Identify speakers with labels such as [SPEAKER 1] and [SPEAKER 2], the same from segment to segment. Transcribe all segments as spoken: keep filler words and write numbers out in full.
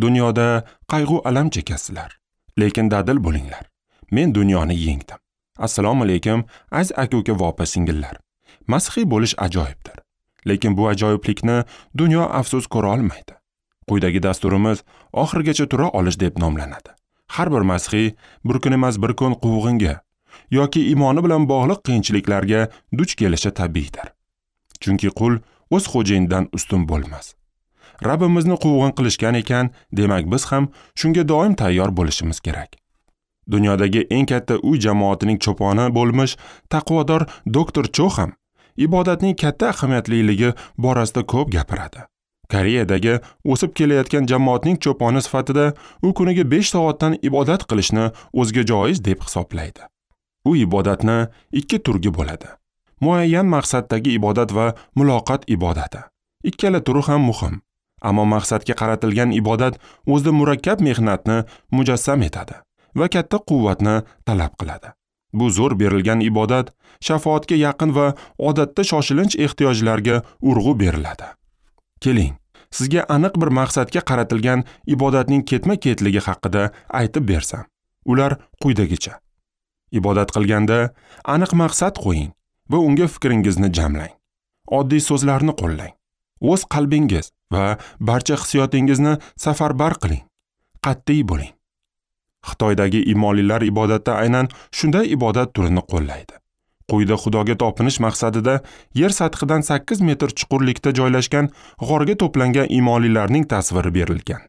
[SPEAKER 1] Dunyoda qayg'u alam chekasizlar, lekin dadil bo'linglar. Men dunyoni yengdim. Assalomu alaykum, aziz aka-uka va opa-singillar. Masihiy bo'lish ajoyibdir. Lekin bu ajoyiblikni dunyo afsus ko'ra olmaydi. Quyidagi dasturimiz oxirigacha tura olish deb nomlanadi. Har bir masihiy bir kun emas bir kun quvg'inga yoki iymoni bilan bog'liq qiyinchiliklarga duch kelishi tabiiydir. Chunki qul o'z xo'jayinidan ustun bo'lmas. Rabbimizni quvg'in qilishgan ekan, demak biz ham shunga doim tayyor bo'lishimiz kerak. Dunyodagi eng katta uy jamoatining cho'poni bo'lmish taqvodor doktor Cho ham ibodatning katta ahamiyatliligi borasida ko'p gapiradi. Koreyadagi o'sib kelayotgan jamoatning cho'poni sifatida u kuniga besh soatdan ibodat qilishni o'ziga joiz deb hisoblaydi. U ibodatni ikki turga bo'ladi. Muayyan maqsaddagi ibodat va muloqot ibodati. Ikkala turi ham muhim. Ammo maqsadga qaratilgan ibodat o'zida murakkab mehnatni mujassam etadi va katta quvvatni talab qiladi. Bu zo'r berilgan ibodat shafoatga yaqin va odatda shoshilinch ehtiyojlarga urg'u beriladi. Keling, sizga aniq bir maqsadga qaratilgan ibodatning ketma-ketligi haqida aytib bersam. Ular quyidagicha. Ibodat qilganda aniq maqsad qo'ying va unga fikringizni jamlang. Oddiy so'zlarni qo'llang. O'z qalbingiz va barcha hissiyotingizni safarbar qiling. Qat'iy bo'ling. Xitoydagi iymonlilar ibodatda aynan shunday ibodat turini qo'llaydi. Quyida Xudoga topinish maqsadida yer sathidan sakkiz metr chuqurlikda joylashgan g'orga to'plangan iymonlilarning tasviri berilgan.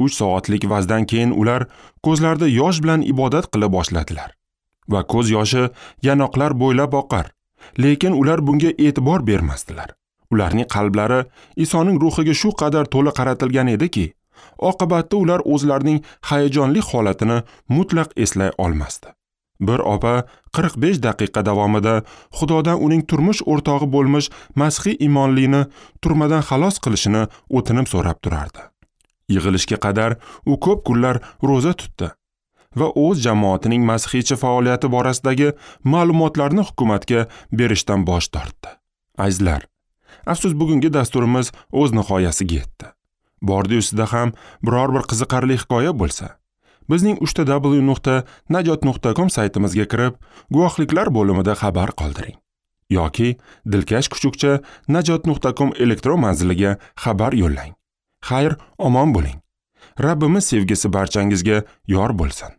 [SPEAKER 1] uch soatlik vazdan keyin ular ko'zlarida yosh bilan ibodat qila boshladilar. Va ko'z yoshi yanoqlar bo'ylab oqar, lekin ular bunga e'tibor bermasdilar. Ularning qalblari Isoning ruhiga shu qadar to'la qaratilgan ediki, oqibatda ular o'zlarining hayajonli holatini mutlaq eslay olmasdi. Bir opa qirq besh daqiqa davomida Xudodan uning turmush o'rtog'i bo'lmish masihiy iymonlini turmadan xalos qilishini o'tinib so'rab turardi. Yig'ilishga qadar u ko'p kunlar ro'za tutdi va o'z jamoatining masihiycha faoliyati borasidagi ma'lumotlarni hukumatga berishdan bosh tortdi. Azizlar, afsus bugungi dasturimiz o'z nihoyasiga yetdi. Bordi ustida ham biror bir qiziqarli hikoya bo'lsa, bizning uchta w nuqta najot nuqta com saytimizga kirib, guvohliklar bo'limida xabar qoldiring yoki dilkash kuchukcha najot nuqta com elektron manziliga xabar yo'llang. Xayr, omon bo'ling. Rabbimiz sevgisi barchangizga yor bo'lsin.